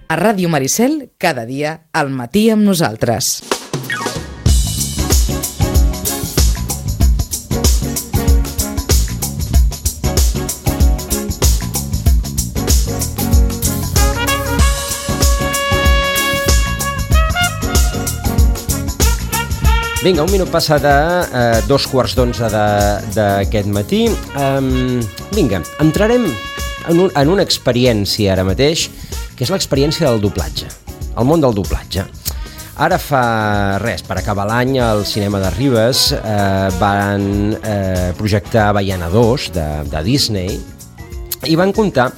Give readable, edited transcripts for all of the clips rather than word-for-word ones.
A Ràdio Maricel, cada dia al matí amb nosaltres. Vinga, un minut passa de 2:15 d'aquest matí. Vinga, entrarem en una experiència ara mateix, que és l'experiència del doblatge, el món del doblatge. Ara fa res, per acabar l'any, al cinema de Ribes van projectar Baiana 2 de Disney i van comptar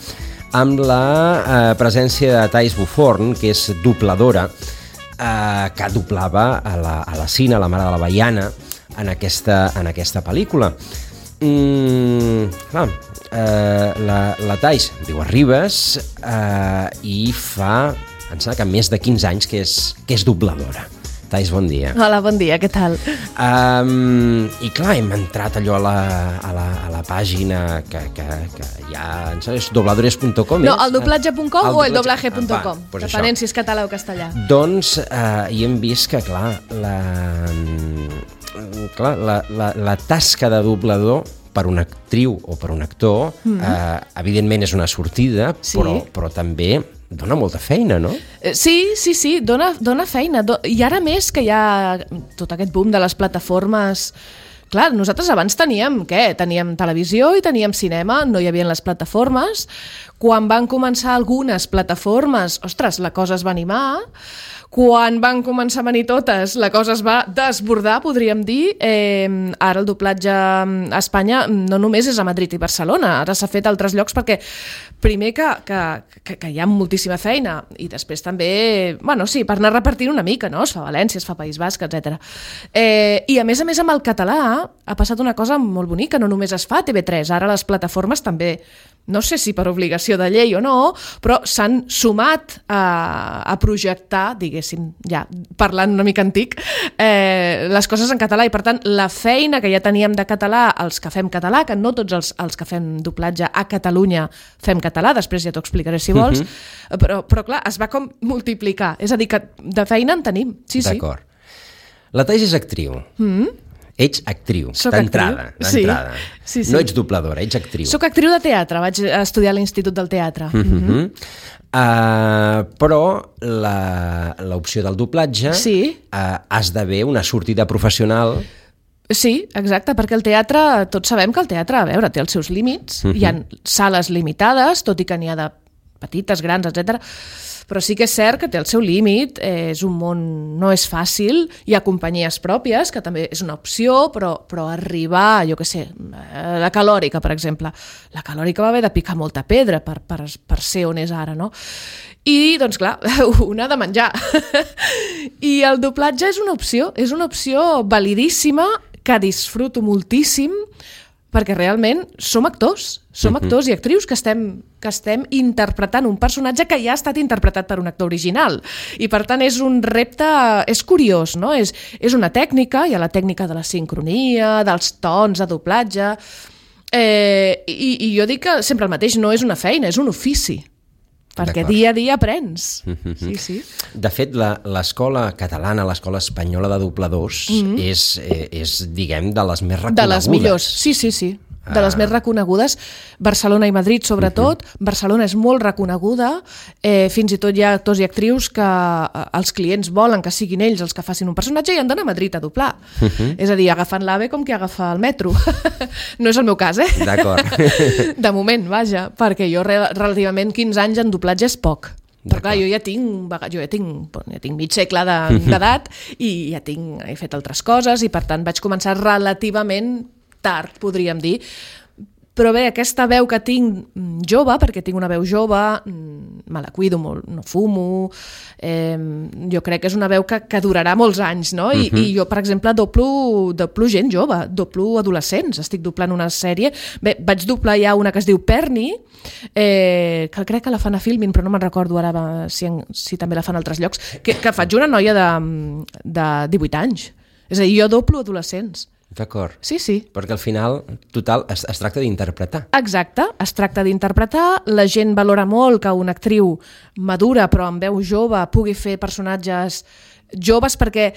amb la presència de Thais Buforn, que és dobladora, que doblava a la Sina, la mare de la Baiana, en aquesta pel·lícula. La Thais viu a Ribes i fa, em sembla que més de 15 anys que és dobladora. Thais, bon dia. Hola, bon dia, què tal? I clar, hem entrat allò a la pàgina que hi ha, és dobladores.com. No, el doblatge.com o el doblaje.com, pues depenent si és català o castellà. Doncs hi hem vist que, clar, la tasca de doblador per una actriu o per un actor, evidentment és una sortida, Sí. però també dona molta feina, no? Sí, dona feina. I ara més que hi ha tot aquest boom de les plataformes. Clar, nosaltres abans teníem televisió i teníem cinema, no hi havia les plataformes. Quan van començar algunes plataformes, ostres, la cosa es va animar. Quan van començar a venir totes, la cosa es va desbordar, podríem dir. Ara el doblatge a Espanya no només és a Madrid i Barcelona, ara s'ha fet a altres llocs perquè primer que hi ha moltíssima feina i després també, bueno, sí, per anar repartint una mica, no? Es fa a València, es fa a País Basc, etc. I a més amb el català ha passat una cosa molt bonica, no només es fa a TV3, ara les plataformes també, no sé si per obligació de llei o no, però s'han sumat a projectar, diguéssim, ja parlant una mica antic, les coses en català i per tant la feina que ja teníem de català, els que fem català, que no tots els que fem doblatge a Catalunya fem català, després ja t'ho explicaré si vols, però clar, es va com multiplicar, és a dir, que de feina en tenim, sí. D'acord. La Thais és actriu. Ets actriu, d'entrada. Sí. No ets dobladora, ets actriu. Soc actriu de teatre, vaig estudiar a l'Institut del Teatre. Però l'opció del doblatge esdevé una sortida professional. Sí, exacte, perquè el teatre, tots sabem que el teatre, a veure, té els seus límits, hi ha sales limitades, tot i que n'hi ha de petites, grans, etc. Però sí que és cert que té el seu límit, és un món, no és fàcil, hi ha companyies pròpies, que també és una opció, però arribar, jo què sé, la Calòrica, per exemple, la Calòrica va haver de picar molta pedra per ser on és ara, no? I, doncs clar, una ha de menjar. I el doblatge és una opció validíssima, que disfruto moltíssim, perquè realment som actors i actrius que estem interpretant un personatge que ja ha estat interpretat per un actor original. I per tant és un repte, és curiós, no? És una tècnica, hi ha la tècnica de la sincronia, dels tons de doblatge, i jo dic que sempre el mateix, no és una feina, és un ofici. Perquè dia a dia aprens. Sí. De fet, l'escola catalana, l'escola espanyola de dobladors és, diguem, de les més reconegudes. De les millors, sí. De les més reconegudes. Barcelona i Madrid, sobretot. Barcelona és molt reconeguda. Fins i tot hi ha actors i actrius que els clients volen que siguin ells els que facin un personatge i han d'anar a Madrid a doblar. És a dir, agafant l'AVE com que agafa el metro. No és el meu cas, D'acord. De moment, vaja, perquè jo relativament 15 anys en doblatge és poc. Però clar, jo ja tinc mig segle d'edat i ja he fet altres coses i per tant vaig començar relativament tard, podríem dir. Però bé, aquesta veu que tinc jove, perquè tinc una veu jove, me la cuido molt, no fumo, jo crec que és una veu que durarà molts anys, no? I jo, per exemple, doblo gent jove, doblo adolescents, estic doblant una sèrie. Bé, vaig doblar ja una que es diu Perni, que crec que la fan a Filmin, però no me'n recordo ara si també la fan a altres llocs, que faig una noia de 18 anys. És a dir, jo doblo adolescents. D'acord. Sí, sí. Perquè al final, total, es tracta d'interpretar. Exacte, es tracta d'interpretar, la gent valora molt que una actriu madura però amb veu jove pugui fer personatges joves perquè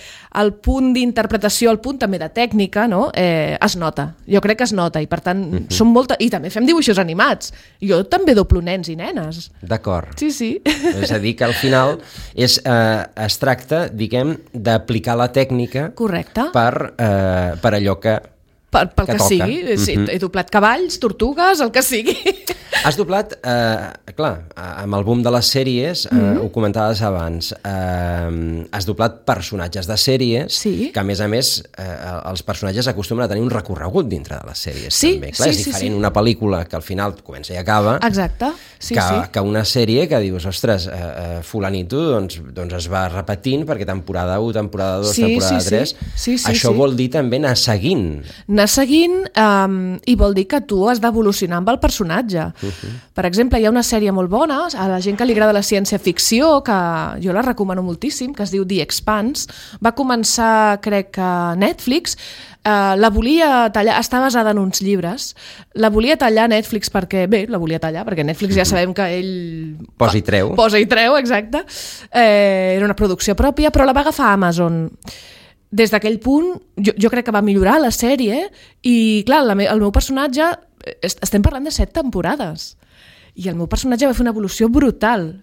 el punt d'interpretació, el punt també de tècnica, no? Es nota, jo crec que es nota i per tant i també fem dibuixos animats, jo també doblo nens i nenes. D'acord. Sí, sí. És a dir, que al final es tracta, diguem, d'aplicar la tècnica. Correcte. Per allò que pel que toca. sigui, sí, he doblat cavalls, tortugues, el que sigui. Has doblat, clar, amb el boom de les sèries, ho comentaves abans, has doblat personatges de sèries, Sí. que a més els personatges acostumen a tenir un recorregut dintre de les sèries. Sí, també. Clar, sí, és diferent sí. una pel·lícula que al final comença i acaba, Exacte, sí, que una sèrie que dius, ostres, fulanito doncs es va repetint perquè temporada 1, temporada 2, temporada 3, això vol dir també anar seguint i vol dir que tu has d'evolucionar amb el personatge. Per exemple, hi ha una sèrie molt bona, a la gent que li agrada la ciència-ficció, que jo la recomano moltíssim, que es diu The Expanse. Va començar, crec, a Netflix, la volia tallar, està basada en uns llibres, la volia tallar Netflix perquè Netflix ja sabem que ell posa i treu, exacte. Era una producció pròpia, però la va agafar Amazon. Des d'aquell punt, jo crec que va millorar la sèrie i, clar, el meu personatge, estem parlant de 7 temporades, i el meu personatge va fer una evolució brutal.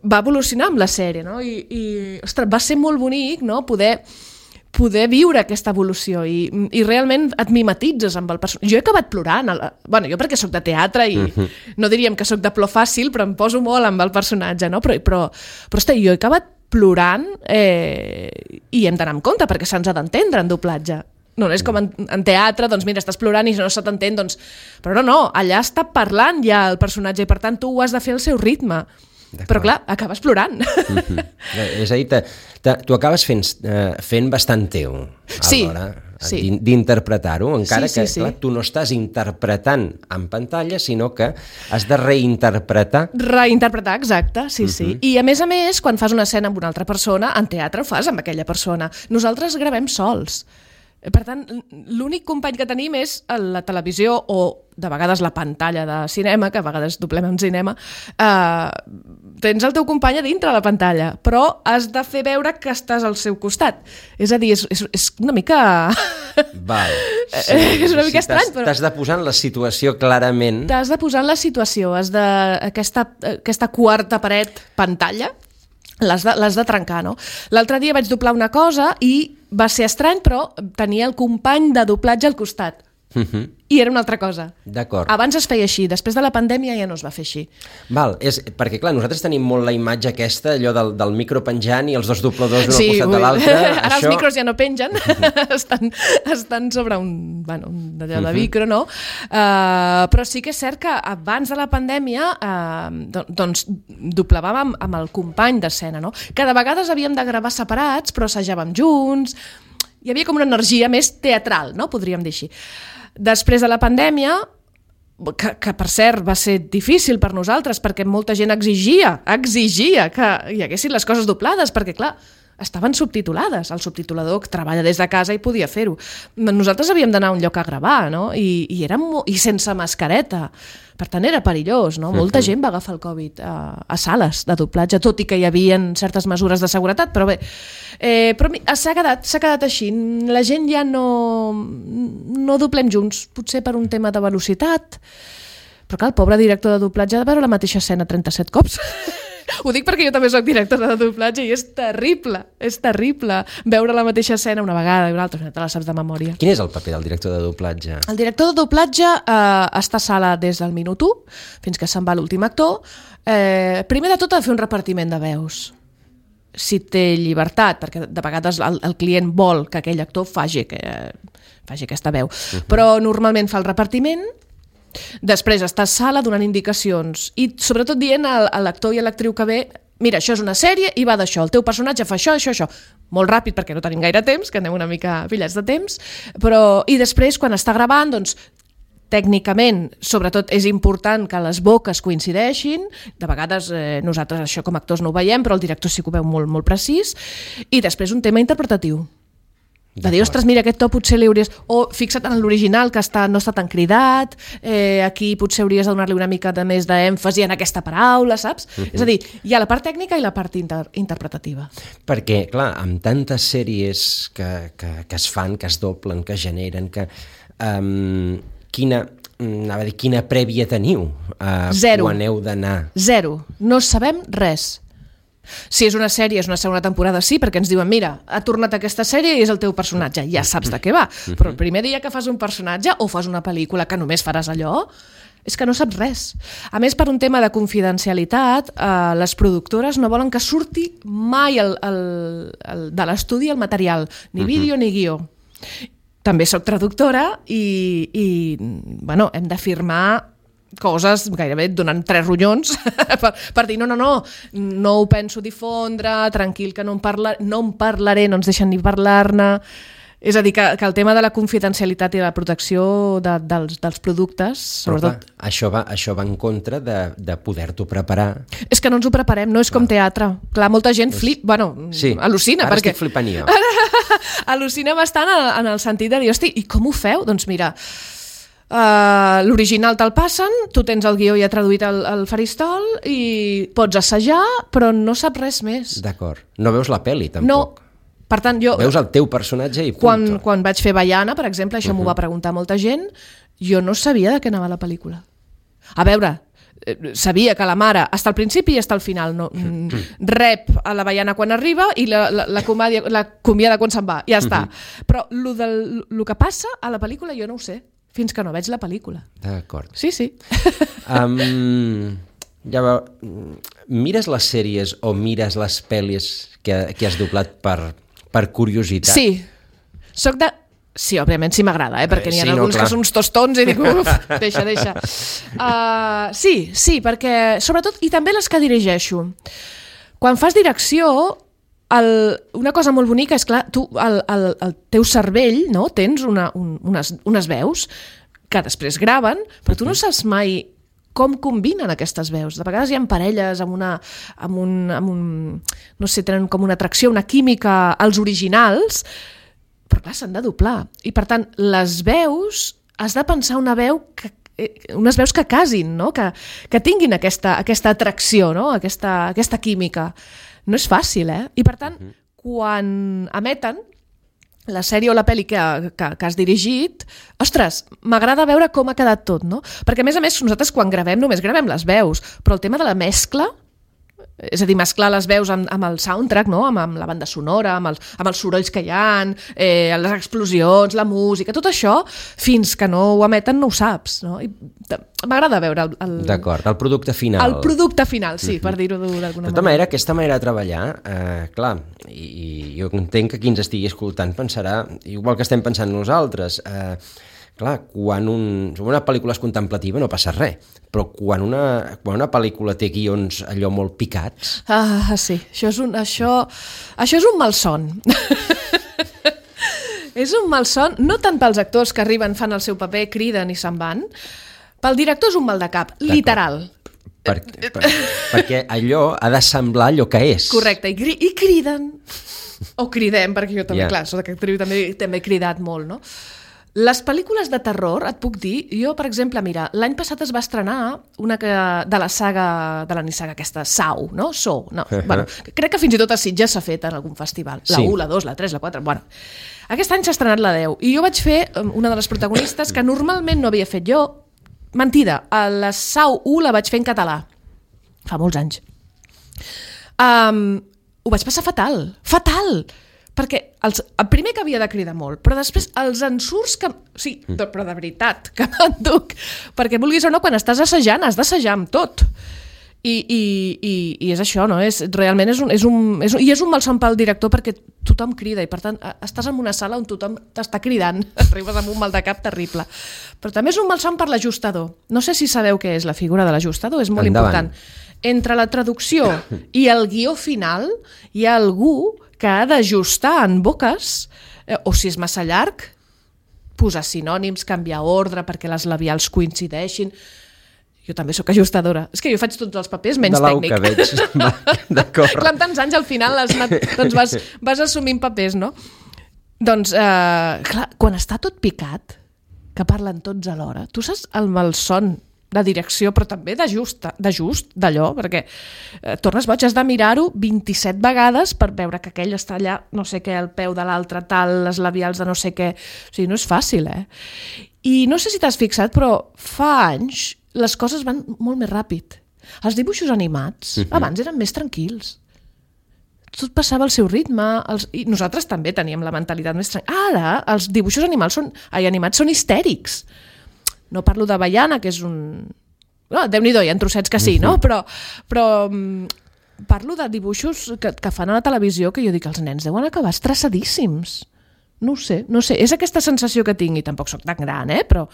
Va evolucionar amb la sèrie, no? I ostres, va ser molt bonic, no?, poder viure aquesta evolució i realment et mimetitzes amb el personatge. Jo he acabat plorant, jo perquè sóc de teatre i no diríem que sóc de plor fàcil, però em poso molt amb el personatge, no? Però ostres, jo he acabat plorant i hem d'anar amb compte perquè se'ns ha d'entendre en doblatge. No és com en teatre, doncs mira, estàs plorant i no se t'entén, doncs... Però no, allà està parlant ja el personatge i per tant tu ho has de fer al seu ritme. Però clar, acabes plorant. És a dir, tu acabes fent bastant teu a l'hora d'interpretar-ho, encara que clar, tu no estàs interpretant en pantalla, sinó que has de reinterpretar. Reinterpretar, exacte, sí. I a més, quan fas una escena amb una altra persona, en teatre ho fas amb aquella persona. Nosaltres gravem sols. Per tant, l'únic company que tenim és la televisió o de vegades la pantalla de cinema, que a vegades doblem en cinema, tens el teu company a dintre la pantalla, però has de fer veure que estàs al seu costat. És a dir, és una mica... Val. Sí, és una mica estrany, però... T'has de posar en la situació clarament. T'has de posar en la situació, aquesta quarta paret pantalla, l'has de trencar, no? L'altre dia vaig doblar una cosa i va ser estrany, però tenia el company de doblatge al costat. I era una altra cosa. D'acord. Abans es feia així, després de la pandèmia ja no es va fer així. Val, perquè clar, nosaltres tenim molt la imatge aquesta, allò del micro penjant i els dos dobladors un al costat de l'altre. Ara els micros ja no pengen, estan sobre un allò de micro, no? Però sí que és cert que abans de la pandèmia doncs doblàvem amb el company d'escena, no? Cada vegada havíem de gravar separats, però assajàvem junts. Hi havia com una energia més teatral, no? Podríem dir així. Després de la pandèmia, que per cert va ser difícil per nosaltres perquè molta gent exigia que hi haguessin les coses doblades, perquè clar, estaven subtitulades, el subtitulador treballa des de casa i podia fer-ho. Nosaltres havíem d'anar a un lloc a gravar, no? I sense mascareta, per tant era perillós, no? Molta gent va agafar el Covid a sales de doblatge, tot i que hi havia certes mesures de seguretat, però bé, però s'ha quedat així, la gent ja no doblem junts, potser per un tema de velocitat, però clar, el pobre director de doblatge ha de veure la mateixa escena 37 cops. Ho dic perquè jo també soc directora de doblatge i és terrible veure la mateixa escena una vegada i una altra, te la saps de memòria. Quin és el paper del director de doblatge? El director de doblatge està a sala des del minut 1 fins que se'n va l'últim actor. Primer de tot ha de fer un repartiment de veus. Si té llibertat, perquè de vegades el client vol que aquell actor faci aquesta veu. Però normalment fa el repartiment. Després està a sala donant indicacions i sobretot dient a l'actor i a l'actriu que ve, mira, això és una sèrie i va d'això, el teu personatge fa això, això. Molt ràpid perquè no tenim gaire temps, que anem una mica pillats de temps, i després quan està gravant, doncs tècnicament, sobretot és important que les boques coincideixin, de vegades nosaltres això com a actors no ho veiem, però el director sí que ho veu molt, molt precís, i després un tema interpretatiu. De dir, ostres, mira, aquest to potser li hauries... O fixa't en l'original, que no està tan cridat, aquí potser hauries de donar-li una mica de més d'èmfasi en aquesta paraula, saps? És a dir, hi ha la part tècnica i la part interpretativa. Perquè, clar, amb tantes sèries que es fan, que es doblen, que es generen, quina prèvia teniu Zero. quan heu d'anar? Zero. No sabem res. Si és una sèrie, és una segona temporada, sí, perquè ens diuen, mira, ha tornat aquesta sèrie i és el teu personatge, ja saps de què va. Però el primer dia que fas un personatge o fas una pel·lícula que només faràs allò, és que no saps res. A més, per un tema de confidencialitat, les productores no volen que surti mai de l'estudi el material, ni vídeo ni guió. També soc traductora i bueno, hem de firmar coses gairebé donant 3 ronyons per dir no ho penso difondre, tranquil que no en parlaré, no ens deixen ni parlar-ne. És a dir, que el tema de la confidencialitat i la protecció dels productes, sobretot... Clar, això va en contra de poder-t'ho preparar. És que no ens ho preparem, no és com teatre. Clar, molta gent al·lucina. Ara estic flipant jo. Al·lucina bastant en el sentit de dir, hosti, i com ho feu? Doncs mira... l'original te'l passen, tu tens el guió ja traduït al faristol i pots assajar, però no saps res més. D'acord. No veus la pel·li, tampoc. No. Per tant, jo... Veus el teu personatge i punt. Quan vaig fer Baiana, per exemple, això m'ho va preguntar molta gent, jo no sabia de què anava la pel·lícula. A veure, sabia que la mare està al principi i està al final, no, rep a la Baiana quan arriba i l'acomiada quan se'n va, ja està. Però el que passa a la pel·lícula jo no ho sé, fins que no veig la pel·lícula. D'acord. Sí. Mires les sèries o mires les pel·lis que has doblat per curiositat? Sí. Sí, òbviament sí m'agrada, perquè n'hi ha alguns que són uns tostons i dic, deixa. Sí, perquè, sobretot, i també les que dirigeixo. Quan fas direcció, una cosa molt bonica és, clar, tu, el teu cervell, no? Tens unes veus que després graven, però tu no saps mai com combinen aquestes veus. De vegades hi ha parelles no sé, tenen com una atracció, una química als originals, però clar, s'han de doblar. I per tant, les veus, has de pensar unes veus que casin, no? Que tinguin aquesta atracció, no? Aquesta química. No és fàcil, I per tant, quan emeten la sèrie o la pel·li que has dirigit, ostres, m'agrada veure com ha quedat tot, no? Perquè, a més, nosaltres quan gravem només gravem les veus, però el tema de la mescla, és a dir, mesclar les veus amb el soundtrack, no? Amb la banda sonora, amb els sorolls que hi ha, les explosions, la música, tot això, fins que no ho emeten no ho saps, no? I m'agrada veure D'acord, el producte final. El producte final, sí, per dir-ho d'alguna manera. De tota manera, aquesta manera de treballar, clar, i jo entenc que qui ens estigui escoltant pensarà, igual que estem pensant nosaltres, clar, quan una pel·lícula és contemplativa no passa res, però quan una pel·lícula té guions allò molt picats... Sí, això és un malson. És un malson, no tant pels actors que arriben, fan el seu paper, criden i se'n van, pel director és un mal de cap, literal. Perquè allò ha de semblar allò que és. Correcte, i criden, o cridem, perquè jo també, clar, soc actriu, també he cridat molt, no? Les pel·lícules de terror, et puc dir, jo, per exemple, mira, l'any passat es va estrenar una de la saga, de la nissaga aquesta, Saw, no? Bueno, crec que fins i tot a Sitges s'ha fet en algun festival. La 1, la 2, la 3, la 4, bueno. Aquest any s'ha estrenat la 10, i jo vaig fer una de les protagonistes que normalment no havia fet jo. Mentida, a la Saw 1 la vaig fer en català, fa molts anys. Ho vaig passar fatal, perquè el primer que havia de cridar molt, però després els ensurts que... Sí, però de veritat, que m'enduc, perquè vulguis o no, quan estàs assajant, has d'assajar amb tot. I és això, no? Realment és un malson pel director perquè tothom crida i per tant estàs en una sala on tothom t'està cridant, arribes amb un mal de cap terrible. Però també és un malson per l'ajustador. No sé si sabeu què és la figura de l'ajustador, és molt important. Entre la traducció i el guió final hi ha algú que ha d'ajustar en boques, o si és massa llarg, posar sinònims, canviar ordre perquè les labials coincideixin. Jo també sóc ajustadora. És que jo faig tots els papers menys tècnic. De l'au que veig. D'acord. Clar, amb tants anys al final vas assumint papers, no? Doncs, clar, quan està tot picat, que parlen tots alhora, tu saps el malson de direcció, però també de just d'allò, perquè tornes boig, has de mirar-ho 27 vegades per veure que aquell està allà, no sé què, al peu de l'altre, tal, les labials de no sé què. O sigui, no és fàcil, I no sé si t'has fixat, però fa anys les coses van molt més ràpid. Els dibuixos animats abans eren més tranquils. Tot passava al seu ritme, i nosaltres també teníem la mentalitat més tranquil·la. Ara, els dibuixos animats són histèrics. No parlo de Baiana, que és un... No, Déu-n'hi-do, hi ha trossets que sí, no? Però parlo de dibuixos que fan a la televisió que jo dic, els nens deuen acabar estressadíssims. No ho sé. És aquesta sensació que tinc, i tampoc soc tan gran, però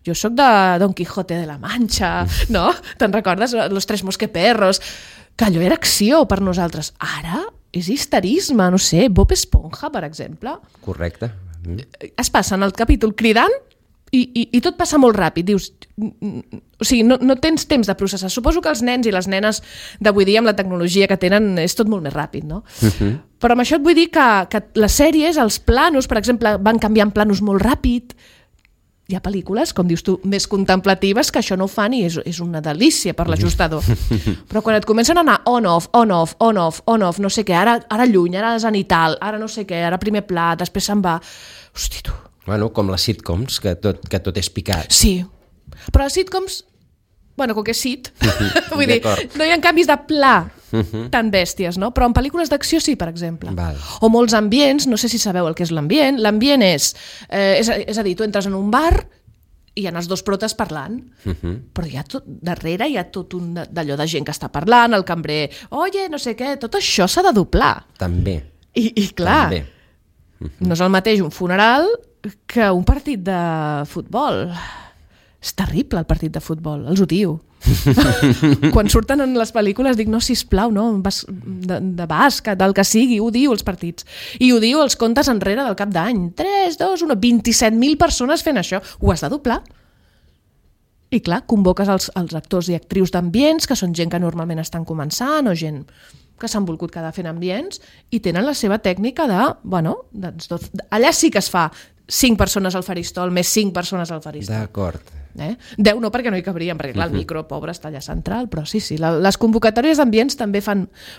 jo soc de Don Quijote de la Mancha, no? Te'n recordes? Los Tres Mosqueperros, que allò era acció per nosaltres. Ara és histerisme, no sé, Bob Esponja, per exemple. Correcte. Es passen el capítol cridant i tot passa molt ràpid. Dius, o sigui, no tens temps de processar. Suposo que els nens i les nenes d'avui dia amb la tecnologia que tenen és tot molt més ràpid, no? Però amb això et vull dir que les sèries, els planos, per exemple, van canviant planos molt ràpid. Hi ha pel·lícules, com dius tu, més contemplatives que això no ho fan i és una delícia per l'ajustador. Però quan et comencen a anar on-off, no sé què, ara lluny, ara zenital, ara no sé què, ara primer pla, després se'n va... Hosti, tu... Bueno, com les sitcoms, que tot és picat. Sí, però les sitcoms, bueno, com que és sit, vull dir, no hi ha canvis de pla tan bèsties, no? Però en pel·lícules d'acció sí, per exemple. Val. O molts ambients, no sé si sabeu el que és l'ambient. L'ambient és a dir, tu entres en un bar i hi ha els dos protes parlant, però darrere hi ha tot un d'allò de gent que està parlant, el cambrer, oye, no sé què, tot això s'ha de doblar. També. I clar, no és el mateix un funeral que un partit de futbol. És terrible el partit de futbol, els odio. Quan surten en les pel·lícules dic, no, sisplau, no, de bàsquet, del que sigui, odio els partits. I odio els comptes enrere del cap d'any. 3, 2, 1, 27.000 persones fent això. Ho has de doblar. I clar, convoques els actors i actrius d'ambients, que són gent que normalment estan començant, o gent que s'han volgut quedar fent ambients, i tenen la seva tècnica de, bueno, allà sí que es fa 5 persones al faristol, més 5 persones al faristol. D'acord. 10 no, perquè no hi cabríem, perquè clar, el micro, pobre, està allà central, però sí, les convocatòries d'ambients també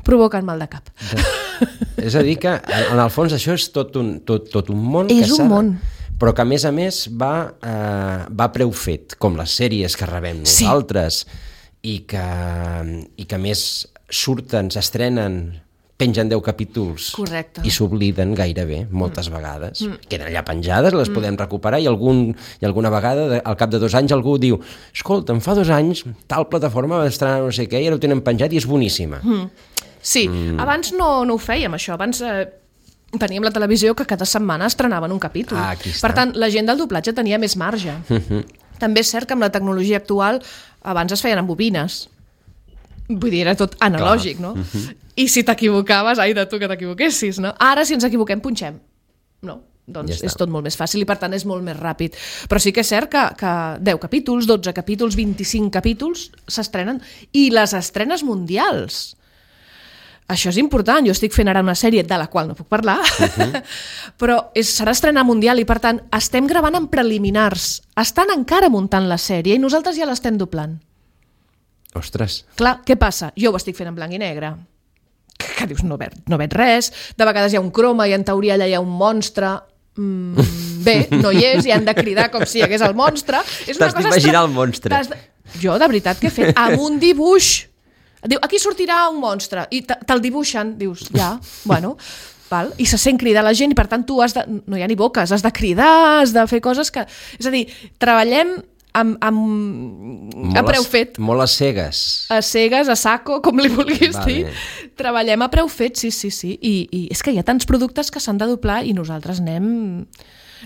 provoquen mal de cap. És a dir que, en el fons, això és tot un món. És un món. Però que, a més, va a preu fet, com les sèries que rebem nosaltres, i que a més surten, s'estrenen, pengen 10 capítols. Correcte. I s'obliden gairebé, moltes vegades. Queden allà penjades, les podem recuperar, i alguna vegada, al cap de 2 anys, algú diu, escolta, fa 2 anys, tal plataforma va estrenar no sé què, i ara ho tenen penjat i és boníssima. Sí, abans no ho fèiem, això. Abans teníem la televisió que cada setmana estrenaven un capítol. Per tant, la gent del doblatge tenia més marge. També és cert que amb la tecnologia actual abans es feien amb bobines. Vull dir, era tot analògic, no? I si t'equivocaves, ai de tu que t'equivoquessis, no? Ara, si ens equivoquem, punxem. No, doncs és tot molt més fàcil i, per tant, és molt més ràpid. Però sí que és cert que 10 capítols, 12 capítols, 25 capítols s'estrenen. I les estrenes mundials. Això és important. Jo estic fent ara una sèrie de la qual no puc parlar, però serà estrena mundial i, per tant, estem gravant en preliminars. Estan encara muntant la sèrie i nosaltres ja l'estem doblant. Ostres. Clar, què passa? Jo ho estic fent en blanc i negre. Que dius, no veig res. De vegades hi ha un croma i en teoria allà hi ha un monstre. Bé, no hi és i han de cridar com si hi hagués el monstre. T'has d'imaginar el monstre. Jo, de veritat, que he fet? Amb un dibuix. Diu, aquí sortirà un monstre. I te'l dibuixen. Dius, ja, bueno... Val? I se sent cridar la gent i, per tant, tu no hi ha ni boques, has de cridar, has de fer coses que... És a dir, treballem a preu fet. Molt a cegues. A cegues, a saco, com li vulguis dir. Treballem a preu fet, sí. I és que hi ha tants productes que s'han de doblar i nosaltres anem...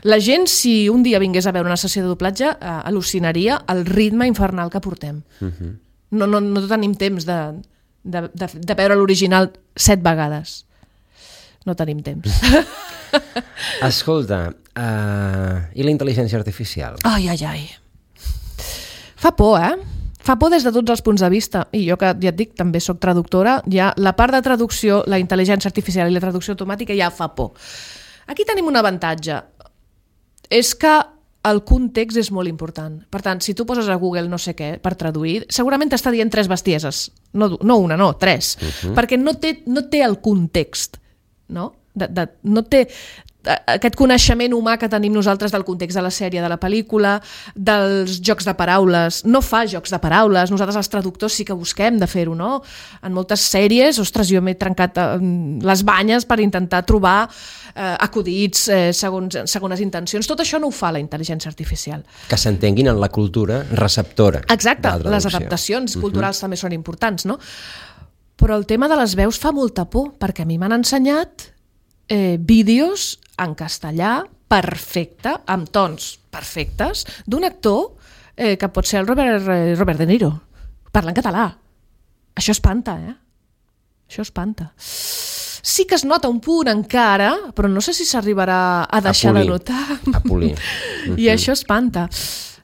La gent, si un dia vingués a veure una sessió de doblatge, al·lucinaria el ritme infernal que portem. No tenim temps de veure l'original 7 vegades. No tenim temps. Escolta, i la intel·ligència artificial? Ai. Fa por, Fa por des de tots els punts de vista. I jo, que ja et dic, també soc traductora, ja la part de traducció, la intel·ligència artificial i la traducció automàtica ja fa por. Aquí tenim un avantatge. És que el context és molt important. Per tant, si tu poses a Google no sé què per traduir, segurament t'està dient 3 bestieses. No una, no, 3. Perquè no té el context. No? No té aquest coneixement humà que tenim nosaltres del context de la sèrie, de la pel·lícula, dels jocs de paraules. No fa jocs de paraules. Nosaltres, els traductors, sí que busquem de fer-ho, no? En moltes sèries, ostres, jo m'he trencat les banyes per intentar trobar acudits segons intencions. Tot això no ho fa la intel·ligència artificial. Que s'entenguin en la cultura receptora. Exacte, les adaptacions culturals també són importants, no? Però el tema de les veus fa molta por, perquè a mi m'han ensenyat vídeos en castellà perfecte, amb tons perfectes, d'un actor que pot ser el Robert De Niro, parlant català. Això espanta, Això espanta. Sí que es nota un punt encara, però no sé si s'arribarà a deixar de notar. A polir. I això espanta.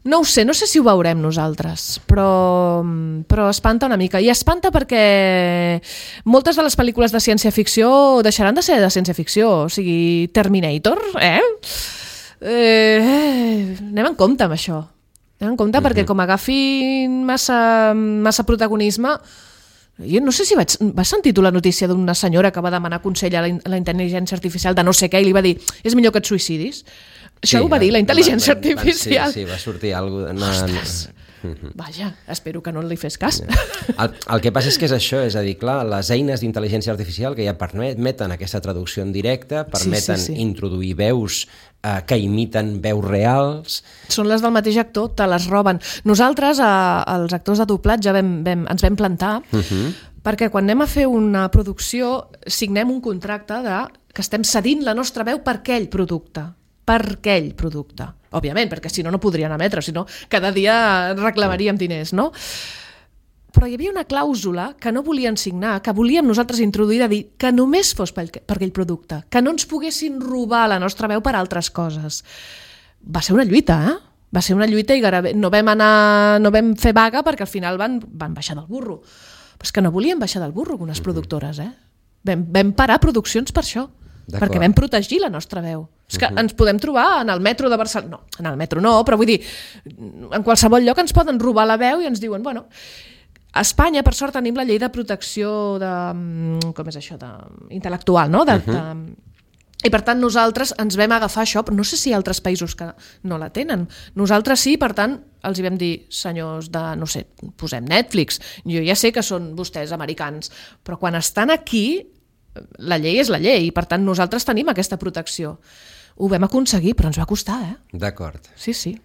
No ho sé, no sé si ho veurem nosaltres, però espanta una mica. I espanta perquè moltes de les pel·lícules de ciència-ficció deixaran de ser de ciència-ficció. O sigui, Terminator, anem en compte amb això. Anem en compte perquè com agafin massa protagonisme... Jo no sé si vas sentir tu la notícia d'una senyora que va demanar consell a la intel·ligència artificial de no sé què i li va dir és millor que et suïcidis. Això ho va dir la intel·ligència artificial. Sí, va sortir alguna cosa... Ostres! Vaja, espero que no li fes cas. El que passa és que és això, és a dir, clar, les eines d'intel·ligència artificial que ja permeten aquesta traducció en directe, permeten introduir veus que imiten veus reals... Són les del mateix actor, te les roben. Nosaltres, els actors de doblatge, ens vam plantar perquè quan anem a fer una producció signem un contracte que estem cedint la nostra veu per aquell producte. Òbviament, perquè si no, no podrien emetre, si no, cada dia reclamaríem diners, no? Però hi havia una clàusula que no volien signar, que volíem nosaltres introduir de dir que només fos per aquell producte, que no ens poguessin robar la nostra veu per altres coses. Va ser una lluita, Va ser una lluita i no vam fer vaga perquè al final van baixar del burro. Però és que no volien baixar del burro algunes productores, Vam parar produccions per això. Perquè vam protegir la nostra veu. És que ens podem trobar en el metro de Barcelona. No, en el metro no, però vull dir, en qualsevol lloc ens poden robar la veu i ens diuen, bueno, a Espanya, per sort, tenim la llei de protecció com és això, intel·lectual, no? I per tant nosaltres ens vam agafar això, però no sé si hi ha altres països que no la tenen. Nosaltres sí, per tant, els hi vam dir, senyors de, no sé, posem Netflix, jo ja sé que són vostès americans, però quan estan aquí la llei és la llei i per tant nosaltres tenim aquesta protecció. Ho vam aconseguir, però ens va costar, D'acord. Sí.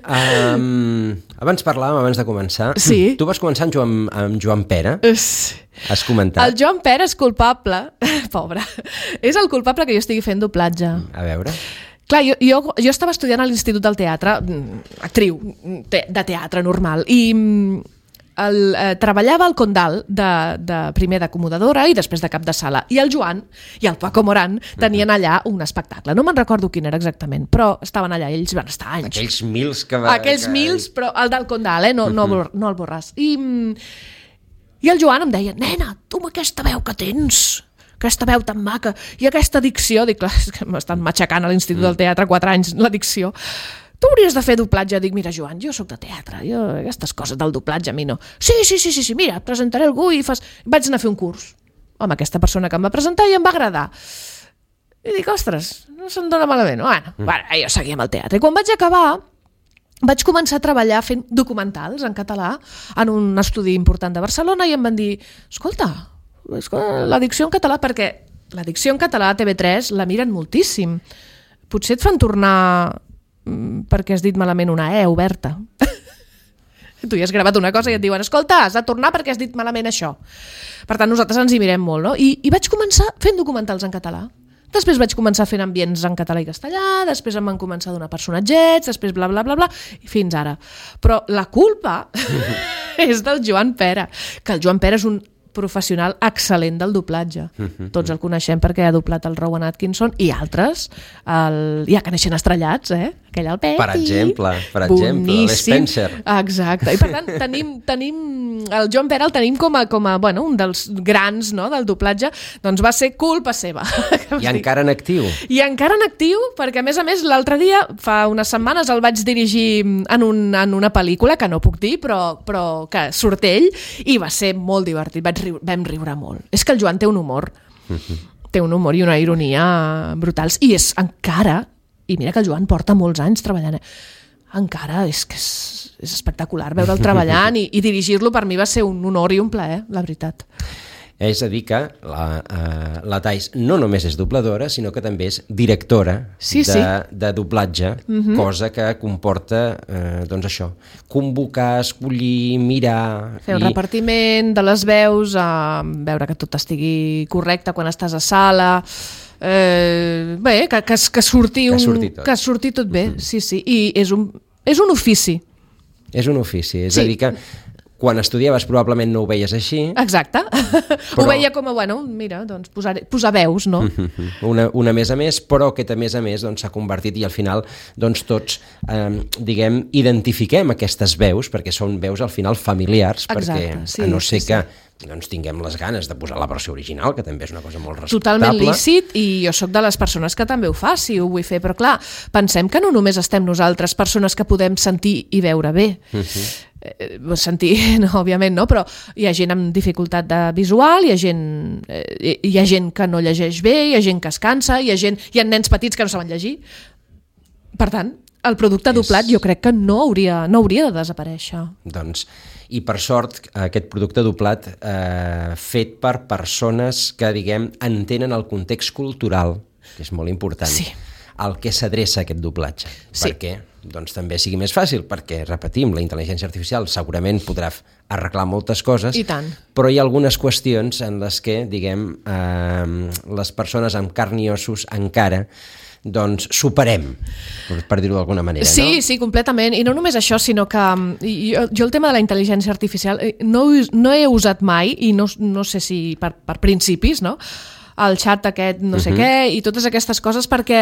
Abans parlàvem, abans de començar. Sí. Tu vas començar amb Joan Pera. Has comentat. El Joan Pera és culpable, pobre, és el culpable que jo estigui fent doblatge. A veure... Clar, jo estava estudiant a l'Institut del Teatre, actriu de teatre normal, i treballava al Condal primer d'acomodadora i després de cap de sala, i el Joan i el Paco Morán tenien allà un espectacle, no me'n recordo quin era exactament, però estaven allà, ells van estar anys. Aquells mils, però el del Condal, no el Borràs. I el Joan em deia, nena, tu amb aquesta veu que tens, aquesta veu tan maca i aquesta dicció, dic, clar, és que m'estan matxacant a l'Institut del Teatre 4 anys la dicció, tu hauries de fer doblatge. Dic, mira, Joan, jo sóc de teatre, aquestes coses del doblatge a mi no. Sí, mira, et presentaré algú i fas... Vaig anar a fer un curs amb aquesta persona que em va presentar i em va agradar. I dic, ostres, no se'm dona malament. Bueno, jo seguia amb el teatre. I quan vaig acabar, vaig començar a treballar fent documentals en català en un estudi important de Barcelona i em van dir, escolta, la dicció en català, perquè la dicció en català a TV3 la miren moltíssim. Potser et fan tornar... perquè has dit malament una oberta. Tu ja has gravat una cosa i et diuen, escolta, has de tornar perquè has dit malament això. Per tant, nosaltres ens hi mirem molt, no? I vaig començar fent documentals en català. Després vaig començar fent ambients en català i castellà, després em van començar a donar personatgets, després bla, bla, bla, bla, i fins ara. Però la culpa és del Joan Pera, que el Joan Pera és un professional excel·lent del doblatge. Tots el coneixem perquè ha doblat el Rowan Atkinson i altres, ja que neixen estrellats, aquell al peti. Per exemple, l'Spencer. Exacte. I per tant, tenim el Joan Pera el tenim com a bueno, un dels grans, no?, del doblatge. Doncs va ser culpa seva. I encara en actiu. I encara en actiu, perquè a més, l'altre dia, fa unes setmanes, el vaig dirigir en una pel·lícula, que no puc dir, però que surt ell, i va ser molt divertit. Vam riure molt. És que el Joan té un humor. Té un humor i una ironia brutals. I és encara, i mira que el Joan porta molts anys treballant, encara és que és espectacular veure'l treballant i dirigir-lo per mi va ser un honor i un plaer, la veritat. És a dir que la Thais no només és dobladora, sinó que també és directora de doblatge, cosa que comporta, doncs això, convocar, escollir, mirar... Fer un repartiment de les veus, veure que tot estigui correcte quan estàs a sala... bé, que surti tot bé, sí, i és un ofici. És un ofici, és a dir que quan estudiaves probablement no ho veies així. Exacte. Ho veia com a, bueno, mira, doncs posar veus, no? Una més a més, però que a més s'ha convertit i al final doncs tots, diguem, identifiquem aquestes veus, perquè són veus al final familiars, perquè a no ser que doncs tinguem les ganes de posar la versió original, que també és una cosa molt respectable. Totalment lícit, i jo sóc de les persones que també ho fa, si ho vull fer, però clar, pensem que no només estem nosaltres, persones que podem sentir i veure bé. Sentir, no, òbviament no, però hi ha gent amb dificultat visual, hi ha gent que no llegeix bé, hi ha gent que es cansa, hi ha nens petits que no saben llegir. Per tant, el producte doblat jo crec que no hauria de desaparèixer. Doncs, i per sort, aquest producte doblat fet per persones que, diguem, entenen el context cultural, que és molt important, al que s'adreça aquest doblatge. Perquè doncs també sigui més fàcil, perquè, repetim, la intel·ligència artificial segurament podrà arreglar moltes coses, però hi ha algunes qüestions en les que, diguem, les persones amb carn i ossos encara doncs superem, per dir-ho d'alguna manera. Sí, sí, completament. I no només això, sinó que jo el tema de la intel·ligència artificial no he usat mai, i no sé si per principis, no?, el xat aquest no sé què i totes aquestes coses, perquè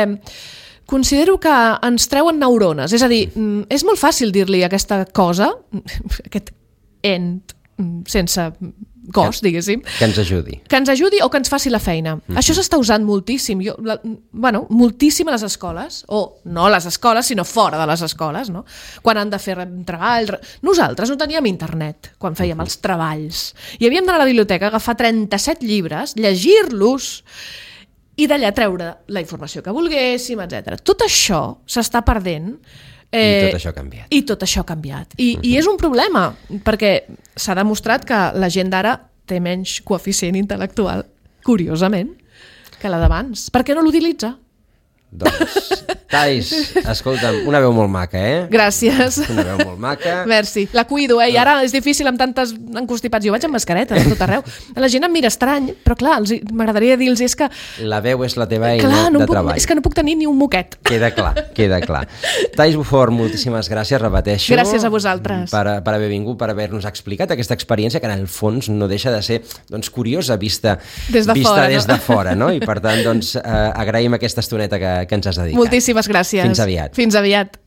considero que ens treuen neurones. És a dir, és molt fàcil dir-li aquesta cosa, aquest ent sense cos, diguéssim. Que ens ajudi. Que ens ajudi o que ens faci la feina. Això s'està usant moltíssim. Moltíssim a les escoles, o no a les escoles, sinó fora de les escoles, no? Quan han de fer treballs... Nosaltres no teníem internet quan fèiem els treballs. I havíem d'anar a la biblioteca, agafar 37 llibres, llegir-los i d'allà treure la informació que volguéssim, etc. Tot això s'està perdent. I tot això ha canviat. I tot això ha canviat. I és un problema, perquè s'ha demostrat que la gent d'ara té menys coeficient intel·lectual, curiosament, que la d'abans. Per què no l'utilitza? Doncs, Thais, escolta'm, una veu molt maca, Gràcies. Una veu molt maca. Merci. La cuido, I ara és difícil amb tantes encostipats. Jo vaig amb mascareta a tot arreu. La gent em mira estrany, però clar, m'agradaria dir-los és que... La veu és la teva eina de treball. És que no puc tenir ni un moquet. Queda clar. Thais Bufort, moltíssimes gràcies, repeteixo. Gràcies a vosaltres. Per haver vingut, per haver-nos explicat aquesta experiència que en el fons no deixa de ser curiosa vista des de fora, no? I per tant, agraïm aquesta estoneta que ens has dedicat. Moltíssimes gràcies. Fins aviat. Fins aviat.